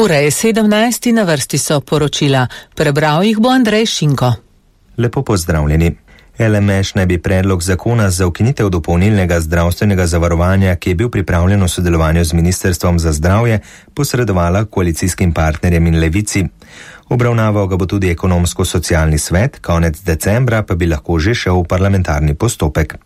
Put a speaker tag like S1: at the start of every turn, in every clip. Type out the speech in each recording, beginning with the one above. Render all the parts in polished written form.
S1: Ura je 17, na vrsti so poročila. Prebral jih bo Andrej Šinko.
S2: Lepo pozdravljeni. LMŠ naj bi predlog zakona za ukinitev dopolnilnega zdravstvenega zavarovanja, ki je bil pripravljen v sodelovanju z Ministrstvom za zdravje, posredovala koalicijskim partnerjem in Levici. Obravnaval ga bo tudi ekonomsko-socialni svet, konec decembra pa bi lahko že šel v parlamentarni postopek.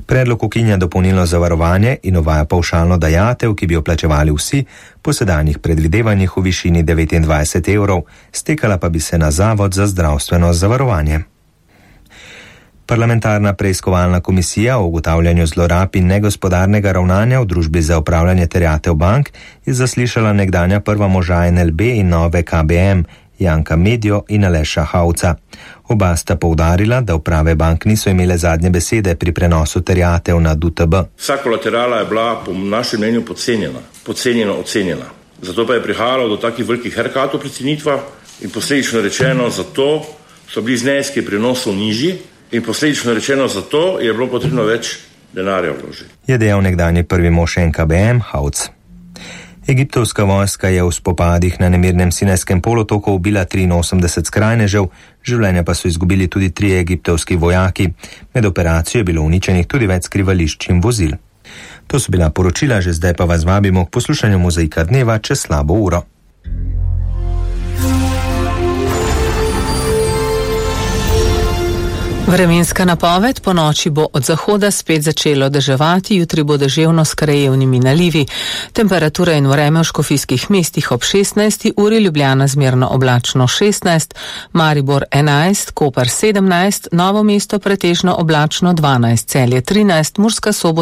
S2: Predlog ukinja dopolnilno zavarovanje in uvaja pavšalno dajatev, ki bi jo plačevali vsi, po sedanjih predvidevanjih v višini 29 evrov, stekala pa bi se na Zavod za zdravstveno zavarovanje. Parlamentarna preiskovalna komisija o ugotavljanju zlorab in negospodarnega ravnanja v družbi za upravljanje terjatev bank je zaslišala nekdanja prva moža NLB in nove KBM, Janka Medjo in Aleša Hauca. Oba sta poudarila, da uprave bank niso imele zadnje besede pri prenosu terjatev na DUTB.
S3: Vsa kolaterala je bila po našem mnenju podcenjeno ocenjena. Zato pa je prihajalo do takih velikih haircutov pri cenitvah in posledično rečeno zato so bili zneski prenosov nižji in posledično rečeno zato je bilo potrebno več denarja vložiti.
S2: Je dejal nekdanji prvi mož NKBM Hauc. Egiptovska vojska je v spopadih na nemirnem Sinajskem polotoku ubila 83 skrajnežev, življenja pa so izgubili tudi 3 egiptovski vojaki. Med operacijo je bilo uničenih tudi več skrivališč in vozil. To so bila poročila, že zdaj pa vas vabimo k poslušanju Mozaika dneva čez slabo uro.
S1: Vremenska napoved: po noči bo od zahoda spet začelo deževati, jutri bo deževno s krajevnimi nalivi. Temperatura in vreme v škofijskih mestih ob 16. uri, Ljubljana zmerno oblačno 16, Maribor 11, Koper 17, Novo mesto pretežno oblačno 12, Celje 13, Murska Sobota